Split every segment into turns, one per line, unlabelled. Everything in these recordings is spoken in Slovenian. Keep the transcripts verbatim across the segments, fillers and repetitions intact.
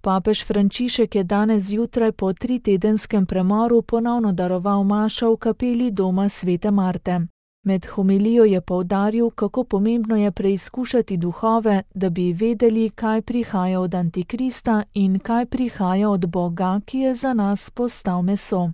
Papež Frančišek je danes zjutraj po tritedenskem premoru ponovno daroval mašo v kapeli doma svete Marte. Med homilijo je poudaril, kako pomembno je preizkušati duhove, da bi vedeli, kaj prihaja od Antikrista in kaj prihaja od Boga, ki je za nas postal meso.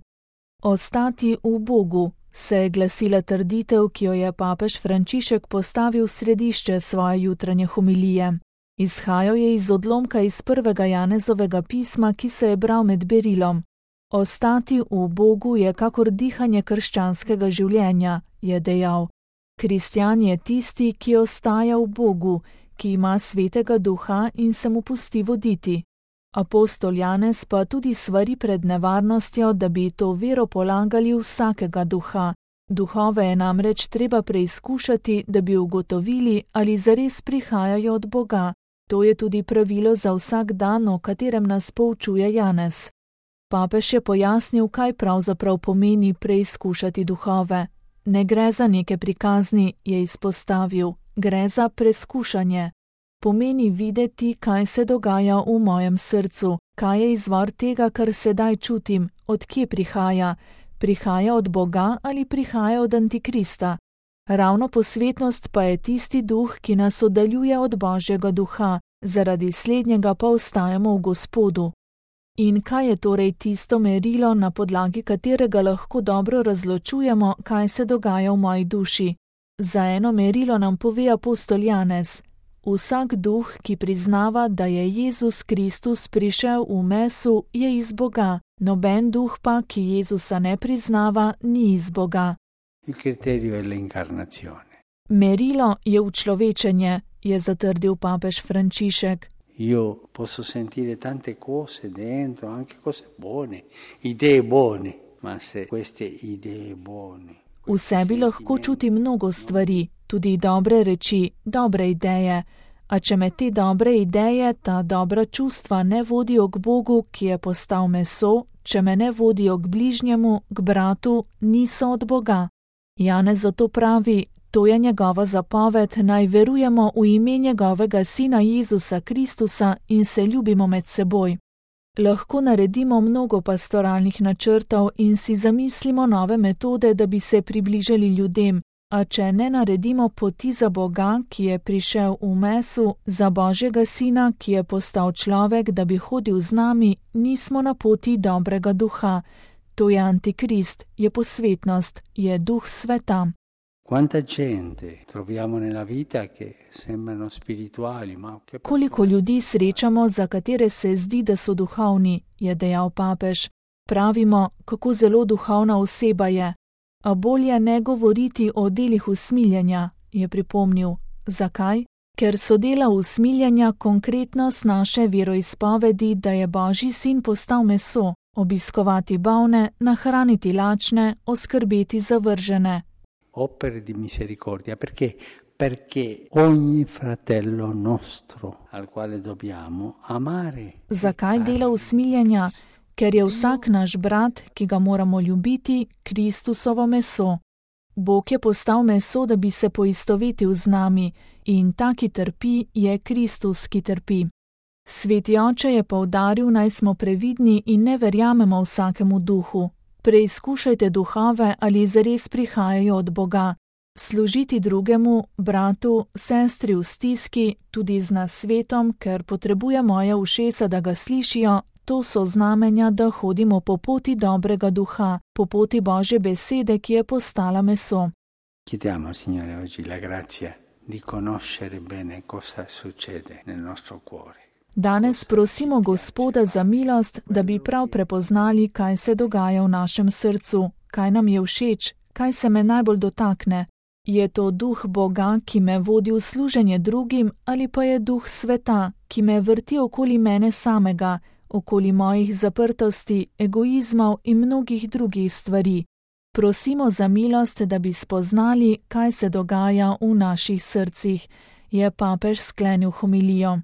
Ostati v Bogu se je glasila trditev, ki jo je papež Frančišek postavil v središče svoje jutranje homilije. Izhajal je iz odlomka iz prvega Janezovega pisma, ki se je bral med berilom. Ostati v Bogu je kakor dihanje krščanskega življenja, je dejal. Kristjan je tisti, ki ostaja v Bogu, ki ima svetega duha in se mu pusti voditi. Apostol Janez pa tudi svari pred nevarnostjo, da bi to vero polagali vsakega duha. Duhove je namreč treba preizkušati, da bi ugotovili, ali zares prihajajo od Boga. To je tudi pravilo za vsak dan, o katerem nas poučuje Janez. Papež je pojasnil, kaj pravzaprav pomeni preizkušati duhove. Ne gre za neke prikazni, je izpostavil, gre za preskušanje. Pomeni videti, kaj se dogaja v mojem srcu, kaj je izvor tega, kar sedaj čutim, od kje prihaja. Prihaja od Boga ali prihaja od Antikrista. Ravno posvetnost pa je tisti duh, ki nas oddaljuje od Božjega duha, zaradi slednjega pa ostajamo v Gospodu. In kaj je torej tisto merilo, na podlagi katerega lahko dobro razločujemo, kaj se dogaja v moji duši? Za eno merilo nam pove apostol Janez. Vsak duh, ki priznava, da je Jezus Kristus prišel v mesu, je iz Boga. Noben duh pa, ki Jezusa ne priznava, ni iz Boga.
Il criterio è l'incarnazione.
Merilo je učlovečenje, je zatrdil papež Frančišek.
Io posso sentire tante cose dentro, anche cose buone, idee buone, ma se queste idee buone.
V sebi lahko čuti mnogo stvari, tudi dobre reči, dobre ideje. A če me te dobre ideje, ta dobra čustva ne vodijo k Bogu, ki je postal meso, če me ne vodijo k bližnjemu, k bratu, niso od Boga. Janez zato pravi, to je njegova zapoved, naj verujemo v ime njegovega sina Jezusa Kristusa in se ljubimo med seboj. Lahko naredimo mnogo pastoralnih načrtov in si zamislimo nove metode, da bi se približali ljudem, a če ne naredimo poti za Boga, ki je prišel v mesu, za Božjega sina, ki je postal človek, da bi hodil z nami, nismo na poti dobrega duha. To je Antikrist, je posvetnost, je duh sveta.
Quanta gente troviamo nella vita che sembrano spirituali, ma che
Koliko ljudi srečamo, za katere se zdi, da so duhovni, je dejal papež. Pravimo, kako zelo duhovna oseba je. A bolje ne govoriti o delih usmiljenja, je pripomnil. Zakaj? Ker so dela usmiljenja konkretnost naše veroizpovedi, da je Božji sin postal meso, obiskovati bolne, nahraniti lačne, oskrbeti zavržene.
Opere di misericordia, perché? Perché ogni fratello nostro al quale dobbiamo amare.
Zakaj dela usmiljenja? Ker je vsak naš brat, ki ga moramo ljubiti, Kristusovo meso. Bog je postal meso, da bi se poistovetil z nami, in ta, ki trpi, je Kristus, ki trpi. Sveti oče je poudaril, naj smo previdni in ne verjamemo vsakemu duhu. Preizkušajte duhove, ali zares prihajajo od Boga. Služiti drugemu, bratu, sestri v stiski, tudi z nasvetom, ker potrebuje moje ušesa, da ga slišijo, to so znamenja, da hodimo po poti dobrega duha, po poti Božje besede, ki je postala meso.
Chiediamo, Signore, oggi la grazia di conoscere bene cosa succede nel nostro cuore.
Danes prosimo Gospoda za milost, da bi prav prepoznali, kaj se dogaja v našem srcu, kaj nam je všeč, kaj se me najbolj dotakne. Je to duh Boga, ki me vodi v služenje drugim, ali pa je duh sveta, ki me vrti okoli mene samega, okoli mojih zaprtosti, egoizmov in mnogih drugih stvari. Prosimo za milost, da bi spoznali, kaj se dogaja v naših srcih, je papež sklenil homilijo.